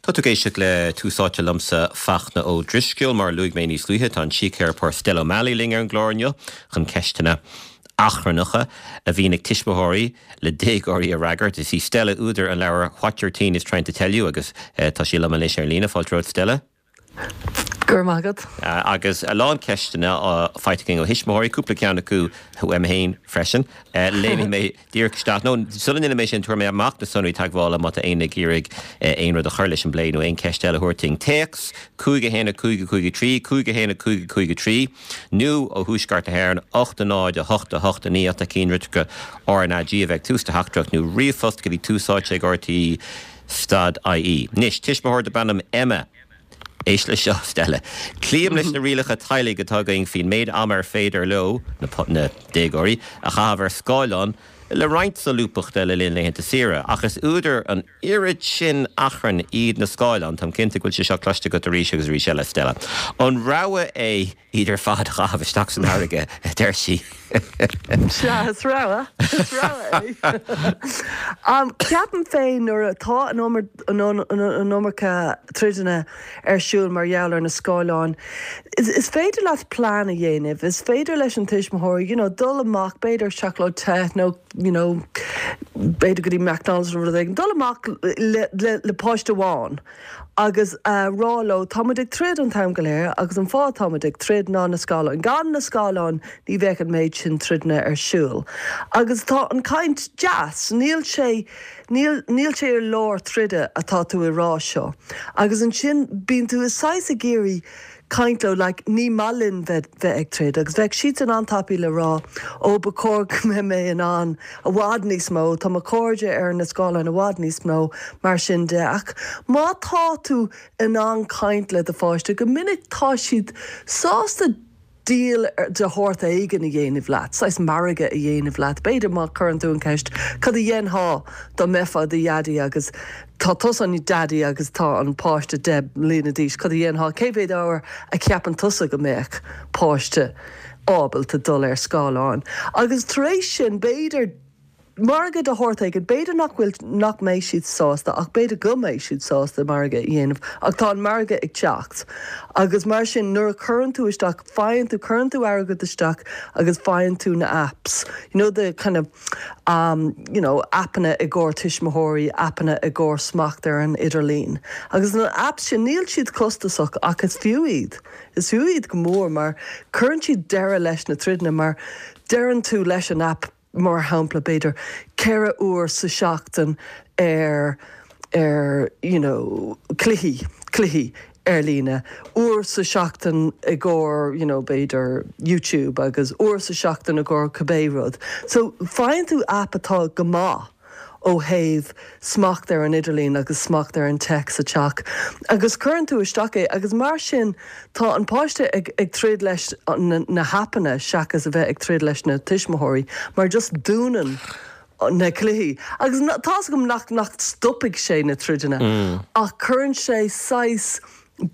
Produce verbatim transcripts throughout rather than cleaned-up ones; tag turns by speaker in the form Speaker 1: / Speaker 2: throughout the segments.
Speaker 1: Tá tú ag éisteacht le Tús Áite liomsa Fachtna Ó Drisceoil mar luaigh mé níos luaithe tá an síctheiripeoir Stella O'Malley linn ar an gclár inniu chun ceisteanna achrannacha a bhíonn ag tuismitheoirí le déagóirí a fhreagairt. Is í Stella údar an leabhar What Your Teen is Trying to Tell You agus uh, tá sí liom anois ar líne fáilte romhat Stella.
Speaker 2: Gur magad.
Speaker 1: Uh, agus a lán ceisteanna uh, faighte againn ó thuismitheoirí cúpla ceann acu uaim féin freisin. Uh, Léifidh mé díreach isteach nó sula ndéanfaidh mé sin tabharfaidh mé amach na sonraí teagmhála má tá éinne ag iarraidh aon rud a chur leis an bplé nó aon cheist eile a thabhairt dúinn. Téacs cúig a haon a cúig a cúig a trí, cúig a haon a cúig a cúig a trí, nó ó thuaisceart na hÉireann ocht a náid a hocht a hocht a naoi ocht cinn litreacha RnaG a bheith tús do theachtaireacht nó ríomhphost go dtí tús áite ag RTÉ dot IE. Anois, tuismitheoir darb ainm Emma. Éist le seo Stella. Cloím leis na rialacha teaghlaigh atá againn faoin méid ama ar féidir leo na, na déagóirí a chaitheamh ar scáileán le roinnt solúbthachta le linn laethanta saoire, ach is údar an oiread sin achrainn iad na scáileáin Táim cinnte go bhfuil sé seo cloiste agat arís agus arís eile Stella. An rogha é iad ar fad a chaitheamh isteach san fharraige a deir sí.
Speaker 2: Sea is rogha is rogha é. Um, Ceapaim féin nuair atá an an iomarca troideanna ar siúl mar gheall ar na scáileáin. Is, is féidir leat plean a dhéanamh, is féidir leis an tuismitheoir, you know, dul amach b'fhéidir seacláid te nó you know, b'fhéidir go dtí McDonald's nó rud éigin, dul amach le, le, le páiste amháin. Agus uh, rá leo táimid ag troid an t-am go léir agus an fáth táimid ag troid ná na scáileáin. Gan na scáileáin ní bheadh an méid sin troideanna ar siúl. Agus tá an caint deas, níl sé níl, níl sé ar lár troide atá tú i rá seo. Agus ansin bíonn tú is saghas ag iarraidh caint leo like, ní maith linn bheith bheith ag troid, agus bheadh siad san an-tapaidh le rá ó ba chóir go mbeidh mé in ann i bhfad níos mó, tá mo chairde ar na scáileáin i bhfad níos mó mar sin de ach má tá tú in ann caint le do pháiste go minic tá siad sásta deal de shórt éigin a dhéanamh leat, saghas margadh a dhéanamh leat. B'fhéidir má chuireann tú an ceist cad a dhéanfá dá mbeifeá i do dhaidí agus tá tusa an daidí agus tá an páiste deich mbliana d'aois, cad a dhéanfá cé mhéad uair a cheapann tusa go mbeadh páiste ábalta dul ar scáileán. Agus tar éis sin b'fhéidir margadh de shórt éigin, b'fhéidir nach bhfuil nach mbeidh siad sásta ach b'fhéidir go mbeidh siad sásta margadh a dhéanamh ach tá an margadh ag teacht. Agus mar sin nuair a chuireann tú isteach faigheann tú cuireann tú airgead isteach agus faigheann tú na apps. You know the kind of um, you know, appanna i gcomhair tuismitheoirí, appanna i gcomhair smacht ar an idirlíon. Agus na apps sin níl siad costasach ach is fiú iad. Is fiú iad go mór mar cuireann siad deireadh leis na troideanna mar deireann tú leis an app mar shampla b'fhéidir ceithre uair sa seachtain ar ar you know, cluichí cluichí ar líne uair sa seachtain i gcomhair you know, b'fhéidir YouTube agus uair sa seachtain i gcomhair cibé rud. So faigheann tú app atá go maith ó thaobh smacht ar an idirlíon agus smacht ar an tech sa teach. Agus cuireann tú isteach é agus mar sin tá an páiste ag, ag troid leis na, na happanna seachas a bheith ag troid leis na tuismitheoirí, mar just dúnann na cluichí. Agus tá gom nach nach stopfaidh sé na troideanna mm. ach cuireann sé saghas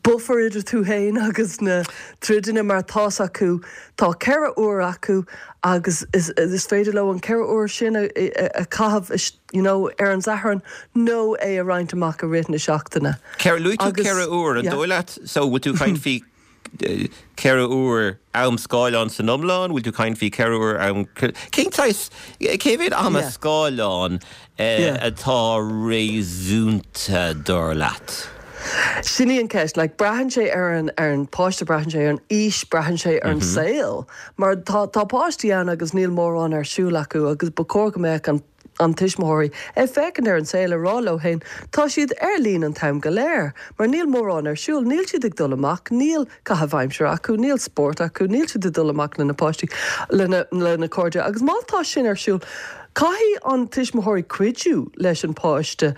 Speaker 2: buffer idir tú féin agus na troideanna mar tá acu tá ceithre uair acu agus is, is féidir leo an ceithre uair sin a, a, a chaitheamh you know, ar an Satharn nó é a roinnt amach i rith na seachtaine.
Speaker 1: Luaigh tú ceithre uair an dóigh leat so bhfuil tú caint faoi ceithre uair am scáileán san iomlán, bhfuil tú caint faoi ceithre uair am cén cé mhéad ama scáileán atá réasúnta dar leat?
Speaker 2: Sin í an ceist, like, braitheann sé ar an ar an páiste braitheann sé ar an aois braitheann sé ar an mm -hmm. saol. Mar tá tá páistí ann agus níl mórán ar siúl acu agus ba chóir go mbeadh an an tuismitheoirí ag féachaint ar an saol a rá leo féin tá siad ar líne an t-am go léir, mar níl mórán ar siúl, níl siad ag dul amach, níl caitheamh aimsire acu, níl spórt acu, níl siad ag dul amach lena páistí lena lena cairde, agus má tá sin ar siúl, caithfidh an tuismitheoirí cuidiú leis an páiste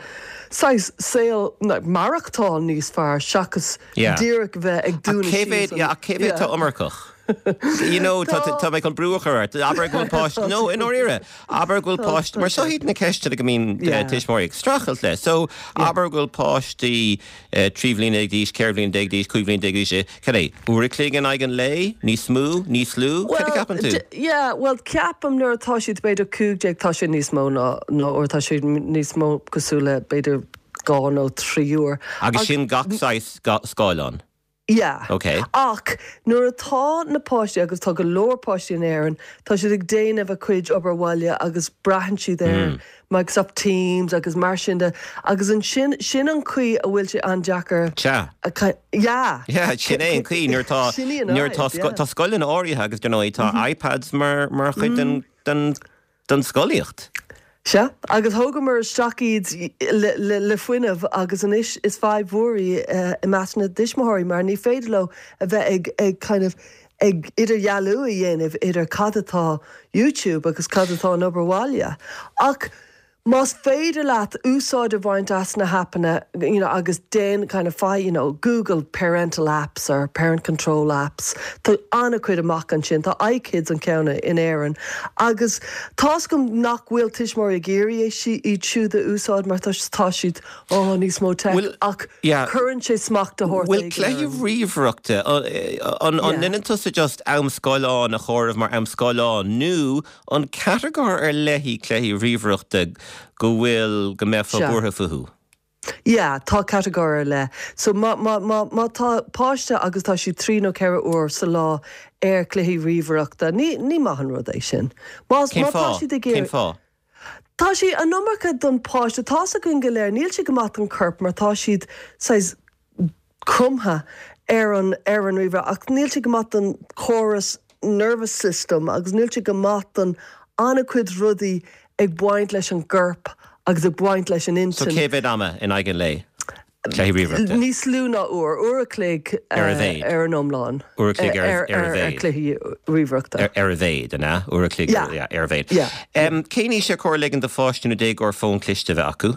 Speaker 2: saghas saol maireachtáil níos fearr seachas díreach bheith ag dúnadh
Speaker 1: cé mhéad atá iomarcach. You know tá mé chun brú a chur ort, abair go bhfuil páiste nó i ndáiríre, abair go bhfuil páiste mar seo iad na ceisteanna go mbíonn tuismitheoirí ag streachailt le. So abair go bhfuil páistí trí bhliana déag d'aois, ceithre bhliana déag d'aois, cúig bhliana déag d'aois, cad é, uair a chloig in aghaidh an lae, níos mó, níos lú, cad a cheapann tú?
Speaker 2: Yeah, well ceapaim nuair atá siad b'fhéidir cúig déag tá sé níos mó ná nó uair tá siad níos mó cosúil le b'fhéidir dhá nó trí uair.
Speaker 1: Agus sin gach saghas scáileán?
Speaker 2: Yeah.
Speaker 1: Okay.
Speaker 2: Ach nuair atá na páistí agus tá go leor páistí in Éirinn, tá siad ag déanamh a cuid obair bhaile agus braitheann siad ar mm. Microsoft Teams agus mar sin de agus an sin sin an chaoi a bhfuil sé an-deacair.
Speaker 1: Sea.
Speaker 2: Yeah.
Speaker 1: Yeah, sin é an chaoi nuair tá nuair tá tá scoileanna áirithe agus you know, tá mm -hmm. iPads mar mar chuid den, mm. den, den scolaíocht.
Speaker 2: Sea, agus thógamar isteach iad le, le, le fuinneamh agus anois is fadhb mhór í uh, i measc na dtuismitheoirí mar ní féidir leo a bheith ag, ag kind of ag idirdhealú a dhéanamh idir cad atá YouTube agus cad atá an obair bhaile. Ach más féidir leat úsáid a bhaint as na haipeanna you know, agus déan kind of fi, you know, Google parental apps or parent control apps Tá an-chuid amach ansin tá iKids an ceann in Éirinn agus tá gom nach bhfuil tuismitheoirí ag iarraidh iad siúd a úsáid mar tá siad ó níos mó te ach cuireann sé smacht a
Speaker 1: thabhairt. Bhfuil cluichí ríomhaireachta an ndéanann tusa just am scáileán a chomhaireamh mar am scáileán nó an catagóir ar leith cluichí ríomhaireachta go bhfuil go mbeifeá buartha fúthu.
Speaker 2: Yeah, tá catagóir ar leith. So má, má, má, má tá páiste agus tá sí trí nó ceithre uair sa lá ar cluichí ríomhaireachta, ní, ní maith an rud é sin.
Speaker 1: Má, má tá siad ag Cén fáth?
Speaker 2: Tá sé an iomarca don páiste tá gun go léir, níl sé go maith don corp mar tá siad saghas cromtha ar an ar an ríomhaire ach níl sé go maith don chóras nervous system agus níl sé go maith don an-chuid rudaí ag baint leis an gcorp agus ag baint leis an
Speaker 1: intinn. So cé mhéad ama in aghaidh an lae?
Speaker 2: Níos lú ná uair, uair a chloig
Speaker 1: ar a mhéad.
Speaker 2: ar an iomlán.
Speaker 1: Uair a chloig ar a mhéad.
Speaker 2: Cluichí ríomhaireachta.
Speaker 1: Ar a mhéad, an ea? Uair a chloig ar a mhéad. Cén aois ar chóir ligean do pháiste nó déagóir fón cliste a bheith acu?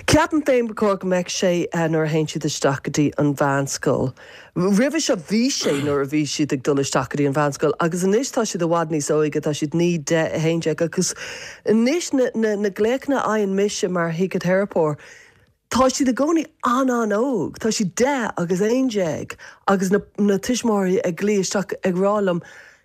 Speaker 2: Ceapaim féin ba chóir go mbeadh sé nuair a théann siad isteach go dtí an mheánscoil. Roimhe seo bhí sé nuair a bhí siad ag dul isteach go dtí an mheánscoil agus anois tá siad i bhfad níos óige, tá siad naoi deich a haon déag agus anois na, na, na glaochanna a fhaigheann mise mar shíciteiripeoir, tá siad i gcónaí an-an-óg, tá siad deich agus aon déag agus na, na tuismitheoirí ag glaoch isteach ag rá liom,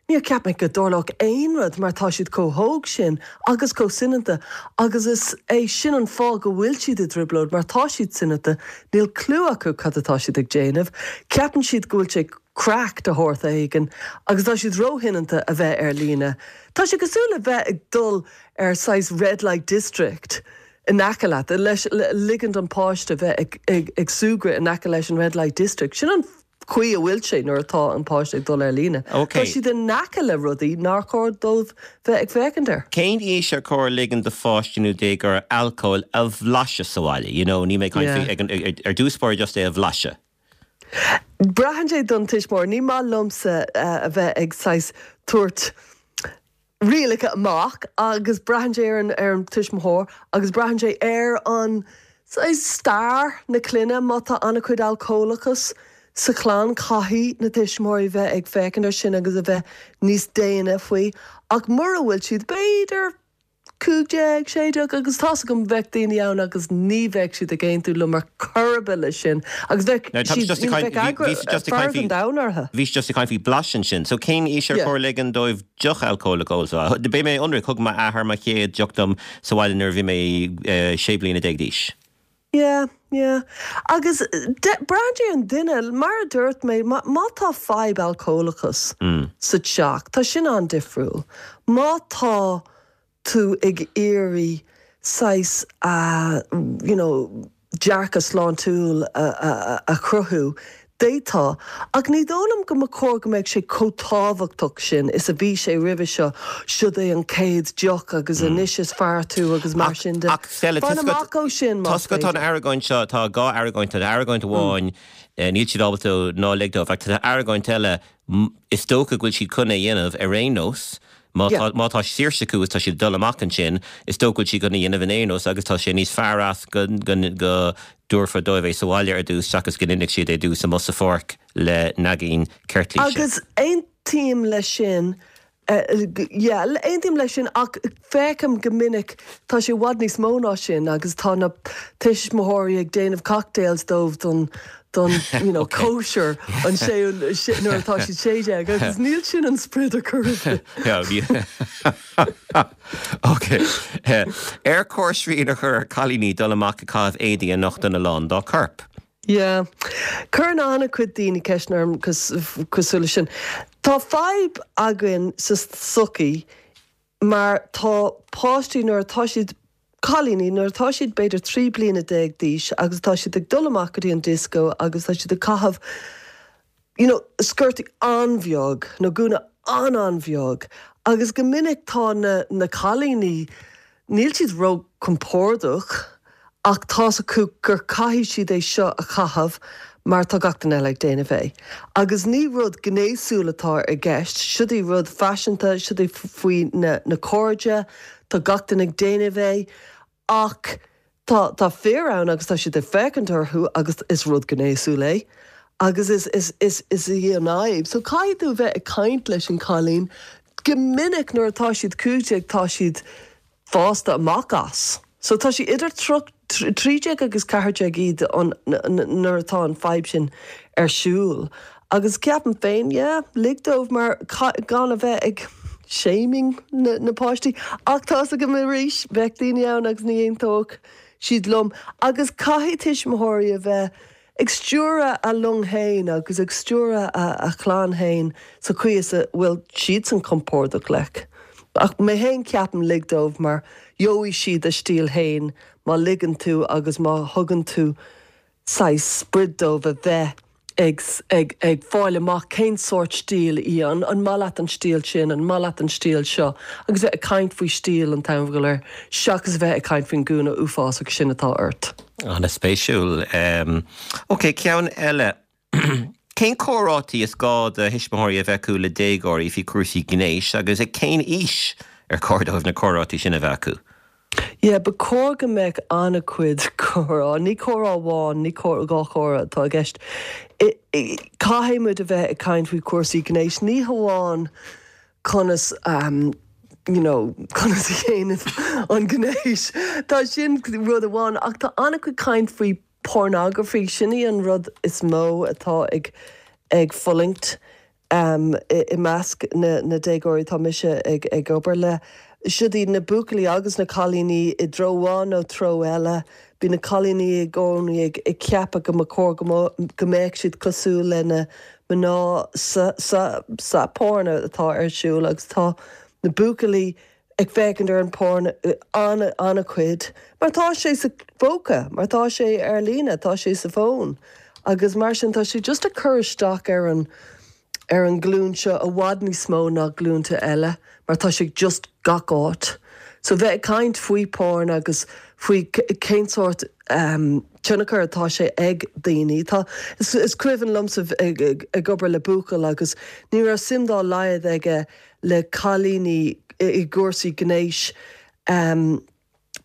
Speaker 2: Níor cheap mé go dtarlódh aon rud mar tá siad chomh hóg sin agus chomh soineanta agus is é sin an fáth go bhfuil siad i dtrioblóid mar tá siad soineanta, níl clue acu cad atá siad ag déanamh, ceapann siad go bhfuil sé craic de shórt éigin agus tá siad róshoineanta a bheith ar líne. Tá sé cosúil le bheith ag dul ar saghas red light district in aice leat, leis ligean don páiste bheith ag, ag, ag súgradh in aice leis an red light district. Sin an chaoi a bhfuil sé nuair atá an páiste ag dul ar líne.
Speaker 1: Okay.
Speaker 2: Tá siad in aice le rudaí nár chóir dóibh bheith ag féachaint air.
Speaker 1: Cén aois ar chóir ligean do pháiste nó déagóir alcól a bhlaiseadh sa bhaile? You know, ní mé
Speaker 2: Yeah.
Speaker 1: ag ar dtús báire just é a bhlaiseadh.
Speaker 2: Braitheann sé don tuismitheoir, ní maith liomsa uh, a bheith ag saghas tabhairt rialacha amach agus braitheann sé ar an ar an tuismitheoir agus braitheann sé ar an saghas stair na clainne má tá an-chuid alcólachas sa chlann caithfidh na tuismitheoirí bheith ag féachaint ar sin agus a bheith níos déine faoi ach mura bhfuil siad b'fhéidir cúig déag sé déag agus tá gom bheith daoine ann agus ní bheidh siad ag aontú liom ar chor ar bith leis sin agus bheith
Speaker 1: siad
Speaker 2: down orthu.
Speaker 1: Bhí just ag caint faoi blaiseadh sin, so cén aois ar chóir ligean dóibh deoch alcólach a ól sa Beidh mé ionraic thug m'athair mo chéad deoch dom sa bhaile nuair a bhí mé sé bliana déag d'aois.
Speaker 2: Yeah, yeah. Agus braitheann sé an duine mar a dúirt mé má tá fadhb alcólachas
Speaker 1: mm.
Speaker 2: sa teach, tá sin an-difriúil. Má tá tú ag iarraidh saghas uh, you know, dearcadh sláintiúil a, a, a chruthú, D'fhéadfá, ach ní dóigh liom go mba chóir go mbeadh sé chomh tábhachtach sin is a bhí sé roimhe seo, siod é an chéad deoch agus mm. anois is fear tú agus mar sin de.
Speaker 1: Ach Stella
Speaker 2: amach ó sin
Speaker 1: Tá tá an argóint seo tá dhá argóint an argóint amháin mm. níl siad ábalta ná lig dóibh, ach tá argóint eile is dócha go bhfuil siad chun é dhéanamh ar aon nós, Má má tá saoirse acu is tá siad dul amach ansin, is dócha go bhfuil siad chun é dhéanamh in aon nós agus tá sé níos fearr as go go dtabharfar dóibh é sa bhaile ar dtús seachas go n-inseodh siad é dtús amuigh sa pháirc le naigín ceirtlíse.
Speaker 2: Agus aontaím leis sin yeah, aontaím leis sin ach feicim go minic tá sé i bhfad níos mó ná sin agus tá na tuismitheoirí ag déanamh cocktails dóibh don don you know, cóisir an sé nuair atá siad sé déag agus níl sin an sprid a chur.
Speaker 1: Ok. Ar chóir srian a chur ar chailíní dul amach ag caitheamh éadaí a nochtann a lán dá corp.
Speaker 2: Yeah. Cuireann an-chuid daoine ceist orm cosúil leis sin. Tá fadhb againn sa tsochaí mar tá páistí nuair atá siad cailíní nuair atá siad b'fhéidir trí bliana déag d'aois agus tá siad ag dul amach go dtí an disco agus tá siad ag caitheamh you know, sciortaí an-bheag nó gúna an-an-bheag agus go minic tá na, na cailíní níl siad ró-compordach ach tá's acu gur caithfidh siad é seo a chaitheamh mar tá gach duine eile ag déanamh é. Agus ní rud gnéasúil atá i gceist, siod é rud faiseanta, siod é faoi na, na cairde, tá gach duine ag déanamh é, ach tá, tá fir ann agus tá siad ag féachaint orthu agus is rud gnéasúil é. Agus is, is, is, is í an fhadhb. So caithfidh tú bheith ag caint leis an cailín go minic nuair atá siad cúig déag tá siad fásta amach as. So tá sí idir trí déag agus ceathair déag iad nuair atá an fadhb sin ar siúl. Agus ceapaim féin, yeah, lig dóibh mar gan a bheith ag shaming na, na páistí. Ach tá's agam arís bheadh daoine ann agus ní aontódh siad liom. Agus caithfidh tuismitheoirí a bheith ag stiúradh a long féin agus ag stiúradh a, a chlann féin sa chaoi is a bhfuil siadsan compordach leis. Ach mé féin ceapaim lig dóibh mar gheobhaidh siad a stíl féin má ligeann tú agus má thugann tú saghas sprid dóibh a bheith ag, ag, ag fáil amach cén sórt stíl í an, an maith leat an stíl sin, an maith leat an stíl seo, agus bheith ag caint faoi stíl an t-am go léir, seachas bheith ag caint faoin gúna uafásach sin atá ort.
Speaker 1: An-spéisiúil. Um, ok, ceann eile. Cén comhráití is gá do thuismitheoirí a bheith acu le déagóirí faoi chúrsaí gnéis agus ag cén aois ar chóir dóibh na comhráití sin a bheith acu?
Speaker 2: Yeah, ba chóir go mbeadh an-chuid comhrá, ní comhrá amháin, ní dhá chomhrá atá i gceist. Caithfidh muid a bheith ag caint faoi chúrsaí gnéis, ní hamháin conas um, you know, conas a dhéanamh an gnéis. Tá sin rud amháin ach tá an-chuid caint faoi pornography sin í an rud is mó atá ag ag fulaingt um, i, i measc na, na déagóirí tá mise ag, ag obair le. Siod iad na buachaillí agus na cailíní i dtreo amháin nó treo eile, Bíonn na cailíní i gcónaí ag, ag ceapadh go mba chóir go mbeadh siad cosúil le na mná sa, sa, sa porn atá ar siúl agus tá na buachaillí ag féachaint ar an porn an an-chuid, mar tá sé sa phóca, mar tá sé ar líne, tá sé sa fón. Agus mar sin tá sé just ag cur isteach ar an ar an glún seo i bhfad níos mó ná glúnta eile, mar tá sé just gach áit. So bheith ag caint faoi porn agus faoi cén sórt um, tionchar atá sé ag daoine. Tá is, is cuimhin liomsa ag, ag, ag obair le buachaill agus ní raibh suim dá laghad aige le cailíní i gcúrsaí gnéis um,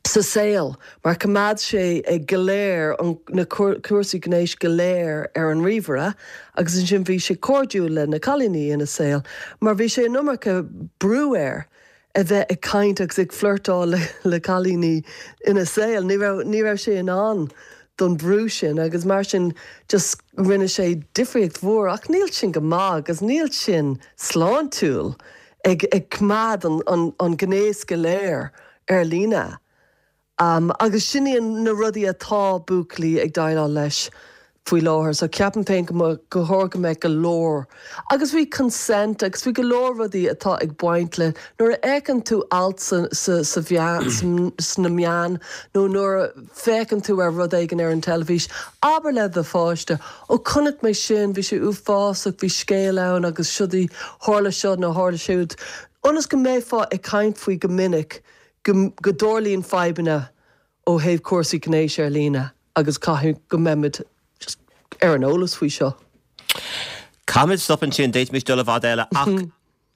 Speaker 2: sa saol, mar choimeád sé ag go léir na cúrsaí gnéis go léir ar an ríomhaire, agus ansin bhí sé cairdiúil le na cailíní ina saol, mar bhí sé an iomarca brú air a bheith ag caint agus ag flirtáil le, le cailíní ina saol. Ní raibh, ní raibh sé in ann don brú sin agus mar sin just rinne sé difríocht mhór ach níl sin go maith agus níl sin sláintiúil ag, ag coimeád an, an, an gnéas go léir ar líne. Um, agus sin iad na rudaí atá buachaillí ag déileáil leis faoi láthair, so ceapaim féin go go chóir go mbeadh go leor. Agus bhí consent agus bhí go leor rudaí atá ag baint le nuair a fheiceann tú alt sa, sa, sa sna meáin nó nuair a féachann tú ar rud éigin ar an teilifís, abair le do pháiste, ó chonaic mé sin, bhí sé uafásach, bhí scéal ann agus siod í tharla seo nó tharla siúd. Ionas go mbeifeá ag caint faoi go minic go, go dtarlaíonn fadhbanna ó thaobh cúrsaí gnéis ar líne agus caithfidh go mbeimid just ar an eolas faoi seo.
Speaker 1: Caithfimid stop ansin d'fhéadfaimis dul i bhfad eile ach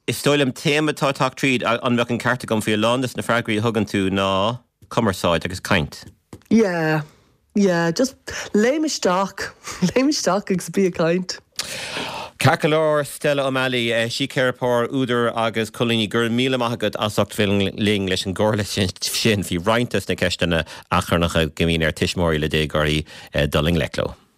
Speaker 1: is dóigh liom téama atá ag teacht tríd an mbeadh an ceart agam faoi a lán de na freagraí a thugann tú ná cumarsáid agus caint.
Speaker 2: Yeah, yeah, just léim isteach, léim isteach agus bí ag caint.
Speaker 1: Ceart go leor Stella O'Malley, síceiripeoir, údar agus colúnaí go raibh míle maith agat as ucht bheith linn leis an gcomhairle sin faoi roinnt de na ceisteanna achrannacha go mbíonn ar tuismitheoirí le déagóirí dul i ngleic leo.